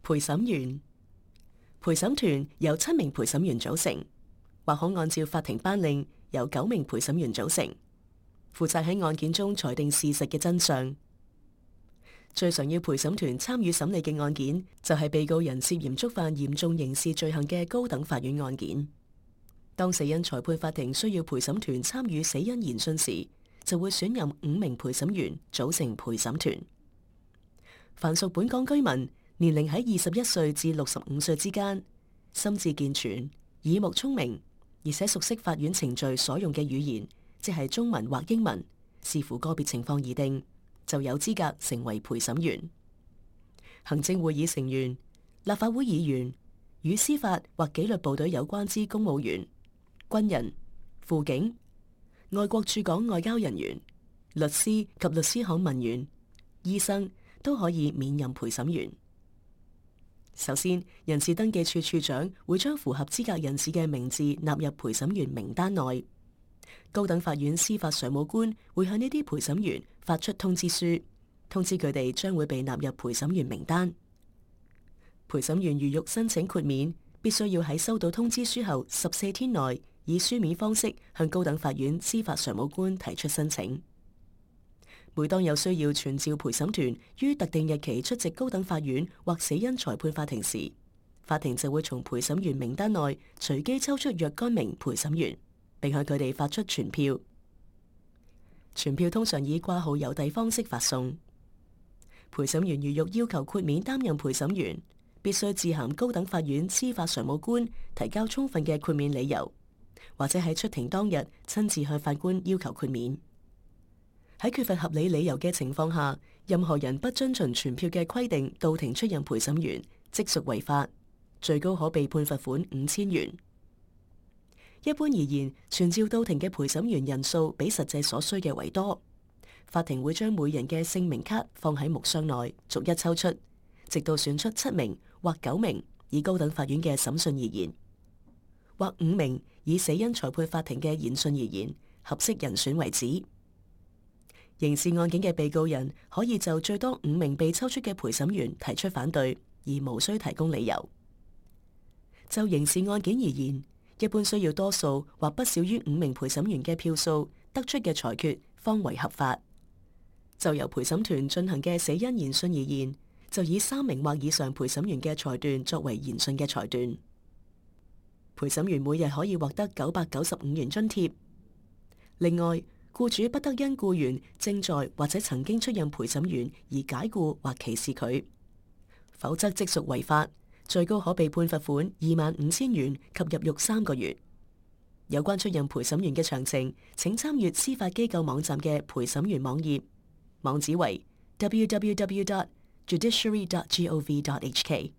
陪審員。陪審團由7名陪審員組成，或可按照法庭頒令由9名陪審員組成，負責喺案件中裁定事實嘅真相。最常要陪審團參與審理嘅案件，就係被告人涉嫌觸犯嚴重刑事罪行嘅高等法院案件。當死因裁判法庭需要陪審團參與死因研訊時，就會選任5名陪審員組成陪審團。凡屬本港居民，年齡喺21歲至65歲之間，心智健全、耳目聰明，而且熟悉法院程序所用嘅語言，即係中文或英文，視乎個別情況而定，就有資格成為陪審員。行政會議成員、立法會議員、與司法或紀律部隊有關之公務員、軍人、輔警、外國駐港外交人員、律師及律師行文員、醫生都可以免任陪審員。首先，人事登記處處長會將符合資格人士嘅名字納入陪審員名單內。高等法院司法常務官會向呢啲陪審員發出通知書，通知佢哋將會被納入陪審員名單。陪審員如欲申請豁免，必須要喺收到通知書後14天內，以書面方式向高等法院司法常務官提出申請。每當有需要傳召陪審團於特定日期出席高等法院或死因裁判法庭時，法庭就會從陪審員名單內隨機抽出若干名陪審員，並向佢哋發出傳票。傳票通常以掛號郵遞方式發送。陪審員如欲要求豁免擔任陪審員，必須致函高等法院司法常務官提交充分嘅豁免理由，或者喺出庭當日親自向法官要求豁免。喺缺乏合理理由嘅情況下，任何人不遵循傳票嘅規定到庭出任陪審員，即屬違法，最高可被判罰款5000元。一般而言，傳召到庭嘅陪審員人數比實際所需嘅為多。法庭會將每人嘅姓名卡放喺木箱內，逐一抽出，直到選出7名或9名以高等法院嘅審訊而言，或5名以死因裁判法庭嘅研訊而言，合適人選為止。刑事案件嘅被告人可以就最多5名被抽出嘅陪審員提出反對，而無需提供理由。就刑事案件而言，一般需要多數或不少於5名陪審員嘅票數得出嘅裁決方為合法。就由陪審團進行嘅死因研訊而言，就以3名或以上陪審員嘅裁斷作為研訊嘅裁斷。陪審員每日可以獲得995元津貼。另外，僱主不得因僱員正在或者曾經出任陪審員而解僱或歧視佢，否則即屬違法，最高可被判罰款25000元及入獄3個月。有關出任陪審員嘅詳情，請參閱司法機構網站嘅陪審員網頁，網址為 www.judiciary.gov.hk。